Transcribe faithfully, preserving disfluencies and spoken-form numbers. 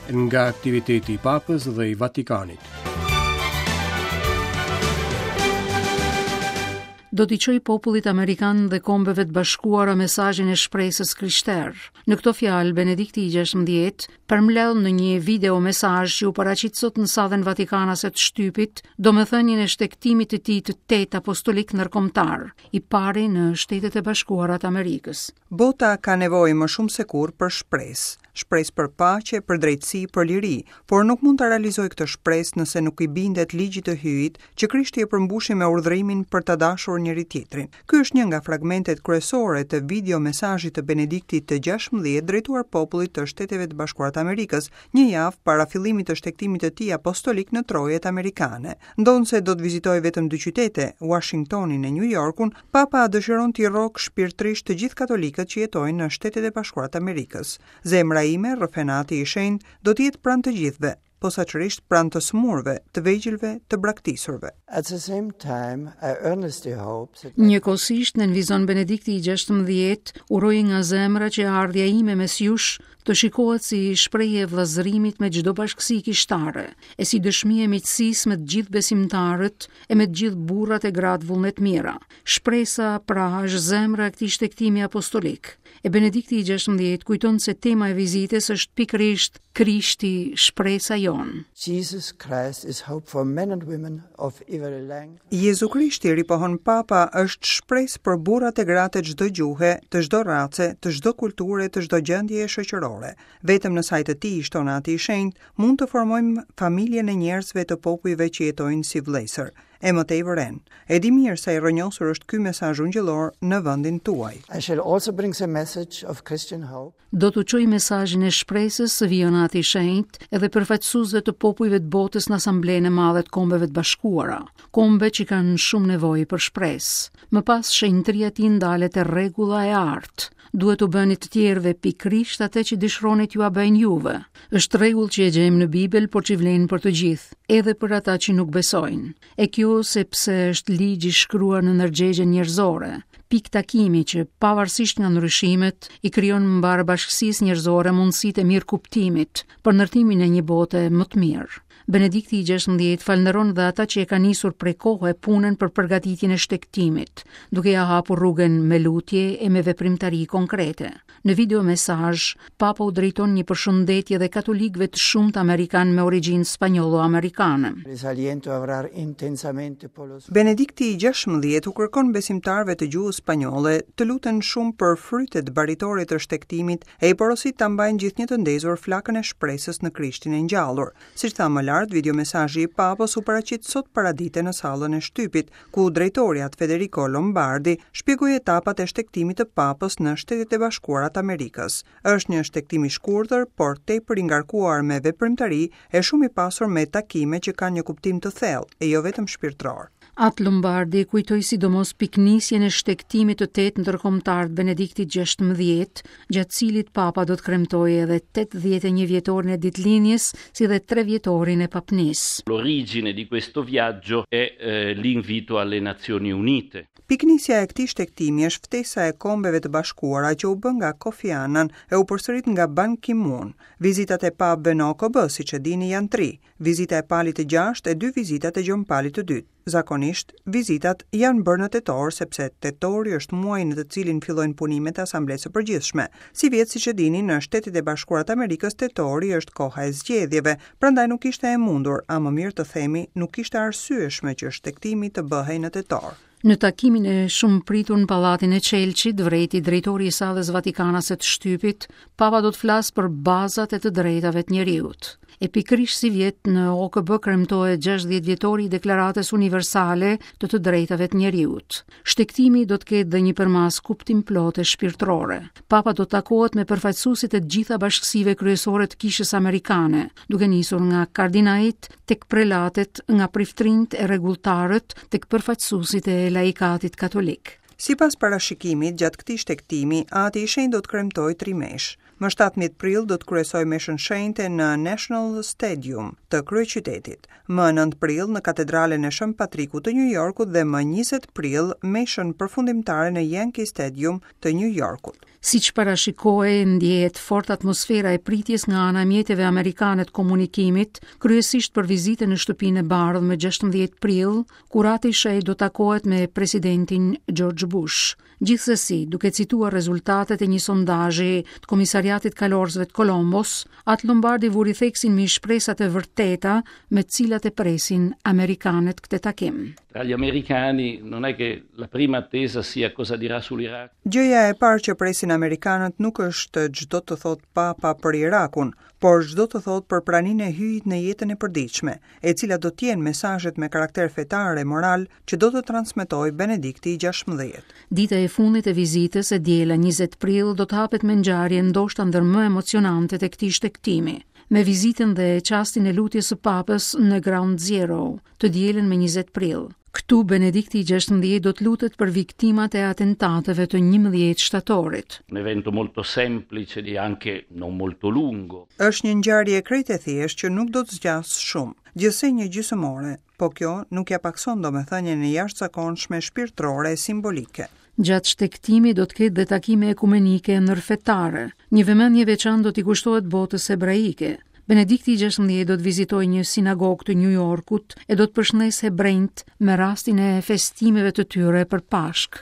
Nga aktiviteti i Papës dhe i Vatikanit. Do t'i çoj popullit amerikan dhe kombeve të bashkuara mesazhin e shpresës krishterë. Në këto fjalë, Benedikti i gjashtëmbëdhjetë përmbledh në një video mesazh që u paraqit sot në sallën Vatikanase të shtypit, domethënien e shtegtimit të tij të tetë apostolik ndërkombëtar, i pari në Shtetet e Bashkuara të Amerikës. Bota ka nevojë më shumë se kurrë për shpresë, shpresë për paqe, për drejtësi, për liri, por nuk mund ta realizojë këtë shpresë nëse nuk i bindet ligjit të Hyjit që Krishti e përmbushi me urdhërimin për ta dashur njëri tjetrin. Ky është një nga fragmentet kryesore të video mesazhit të Benediktit të gjashtëmbëdhjetë drejtuar popullit të Shteteve të Bashkuara të Amerikës, një javë para fillimit të shtegtimit të tij apostolik në trojet amerikane. Ndonëse do të vizitojë vetëm dy qytete, Washingtonin e New Yorkun, Papa dëshiron t'i rrok shpirtërisht të gjithë katolikët që jetojnë në Shtetet e Bashkuara të Amerikës. Zemra ime, rrëfenati i shenjtë, do të jetë pranë të gjithëve, posaçërisht pranë të sëmurëve, të vegjëlve, të braktisurve. At the same time, I earnestly hope that Njëkohësisht, nënvizon Benedikti i gjashtëmbëdhjetë, uroj nga zemra që ardhja ime mes jush të shikohet si shprehje e vëllazërimit me çdo bashkësi kishtare, e si dëshmi e miqësisë me të gjithë besimtarët e me të gjithë burrat e gratë vullnet mira. Shpresa pra është zemra e këtij shtegtimi apostolik. E Benedikti i gjashtëmbëdhjetë kujton se tema e vizitës është pikërisht Krishti, shpresa jonë. Jesus Christ is hope for men and women of every language. Jezu Krishti, ripohon Papa, është shpresë për burrat e gratë e çdo gjuhe, të çdo race, të çdo kulture, të çdo gjendjeje shoqërore. Vetëm në saj të tij, shton Ati i Shenjtë, mund të formojmë familjen e njerëzve të popujve që jetojnë si vëllezër. E më tej vëren, e di mirë sa i rrënjosur është ky mesazh ungjillor në vendin tuaj. I shall also bring the message of Christian hope. Do t'u çoj mesazhin e shpresës së vijon Ati i Shenjtë edhe përfaqësuesve të popujve të botës në Asamblenë e Madhe të Kombeve të Bashkuara, kombe që kanë shumë nevojë për shpresë. Më pas shenjtëria e tij ndalet e rregulla e artë. Duhet u bëni të tjerëve pikërisht atë që dëshironi t'jua bëjnë juve. Është rregull që e gjejmë në Bibël, por që vlen për të gjithë, edhe për ata që nuk besojnë. E kjo sepse është ligj i shkruar në ndërgjegjen njerëzore, pikë takimi që pavarësisht nga ndryshimet i krijon mbar bashkësisë njerëzore mundësitë e mirëkuptimit për ndërtimin e një bote më të mirë. Benedikti i gjashtëmbëdhjetë falënderon dhe ata që e kanë nisur prej kohe punën për përgatitjen e shtegtimit, duke ja hapur rrugën me lutje e me veprimtari konkrete. Në video mesazh, Papa u drejton një përshëndetje dhe katolikëve të shumtë amerikan me origjinë spanjollo-amerikane. Les aliento a orar intensamente por los Benedikti i gjashtëmbëdhjetë u kërkon besimtarëve të gjuhës spanjolle të luten shumë për frytet baritore të shtegtimit e i porosit ta mbajnë gjithnjë të ndezur flakën e shpresës në Krishtin e ngjallur. Siç tha më lart, video mesazhi i Papës u paraqit sot paradite në sallën e shtypit, ku drejtori At Federico Lombardi shpjegoi etapat e shtegtimit të Papës në Shtetet e Bashkuara të Amerikës. Është një shtegtim i shkurtër, por tepër i ngarkuar me veprimtari e shumë i pasur me takime që kanë një kuptim të thellë e jo vetëm shpirtëror. At Lombardi kujtoi sidomos piknisjen e shtegtimit të tetë ndërkombëtar të Benediktit gjashtëmbëdhjetë, gjatë cilit Papa do të kremtojë edhe tetëdhjetë e një vjetorin e ditëlindjes, si dhe tre vjetorin e papnisë. L'origine di questo viaggio è, eh, l'invito alle Nazioni Unite. Piknisja e këtij shtegtimi është ftesa e Kombeve të Bashkuara që u bë nga Kofi Annan e u përsërit nga Ban Ki-moon. Vizitat e papëve në O K B, siç e dini, janë tri. Vizita e Palit të gjashtë e dy vizitat e Gjon Palit të dytë. Zakonisht, vizitat janë bërë në tetor, sepse tetori është muaji në të cilin fillojnë punimet e Asamblesë së Përgjithshme. Si vjet, siç e dini, në Shtetet e Bashkuara të Amerikës tetori është koha e zgjedhjeve, prandaj nuk ishte e mundur, a më mirë të themi, nuk ishte arsyeshme që shtegtimi të bëhej në tetor. Në takimin e shumë pritur në Pallatin e Çelçit, vrejti drejtori i sallës Vatikanase të shtypit, Papa do të flasë për bazat e të drejtave të njeriut. E pikërisht si vjet në O K B kremtohet gjashtëdhjetë vjetori i Deklaratës Universale të të Drejtave të Njeriut. Shtegtimi do të ketë dhe një përmasë kuptimplote shpirtërore. Papa do të takohet me përfaqësuesit e të gjitha bashkësive kryesore të kishës amerikane, duke nisur nga kardinajt tek prelatet, nga priftrinjt e rregulltarët tek përfaqësuesit e laikatit katolik. Sipas parashikimit, gjatë këtij shtegtimi, Ati i Shenjtë do të kremtojë tri mesh. Më shtatëmbëdhjetë prill do të kryesojë meshën shenjte në National Stadium të kryeqytetit, më nëntë prill në Katedralen e Shën Patrikut të New Yorkut dhe më njëzet prill meshën përfundimtare në Yankee Stadium të New Yorkut. Siç parashikohej, ndjehet fort atmosfera e pritjes nga ana e mjeteve amerikane të komunikimit, kryesisht për vizitën në Shtëpinë e Bardhë më gjashtëmbëdhjetë prill, kur Ati i Shenjtë do takohet me presidentin George Bush. Gjithsesi, duke cituar rezultatet e një sondazhi të Komisariatit Kalorësve të Kolombos, Atë Lombardi vuri theksin mbi shpresat e vërteta me të cilat e presin amerikanët këtë takim. Tra gli americani non è che la prima attesa sia cosa dirà sull'Iraq. Gjëja e parë që presin amerikanët nuk është ç'do të thotë Papa për Irakun, por ç'do të thotë për praninë e Hyjit në jetën e përditshme, e cila do të jenë mesazhet me karakter fetar e moral që do të transmetojë Benedikti i gjashtëmbëdhjetë. Dita e fundit e vizitës, e diela njëzet prill, do të hapet me ngjarje ndoshta ndër më emocionantet e këtij shtegtimi, me vizitën dhe çastin e lutjes së Papës në Ground Zero, të dielën me njëzet prill. Këtu Benedikti i gjashtëmbëdhjetë do të lutet për viktimat e atentateve të njëmbëdhjetë shtatorit. Un evento molto semplice e anche non molto lungo. Është një ngjarje krejt e thjeshtë që nuk do të zgjasë shumë, gjithsej një gjysmë ore, po kjo nuk ja pakson domethënien e jashtëzakonshme shpirtërore e simbolike. Gjatë shtegtimit do të ketë dhe takime ekumenike ndërfetare. Një vëmendje veçantë do t'i kushtohet botës hebraike. Benedikti i gjashtëmbëdhjetë do të vizitojë një sinagogë të New Yorkut e do të përshëndesë hebrejt me rastin e festimeve të tyre për Pashk.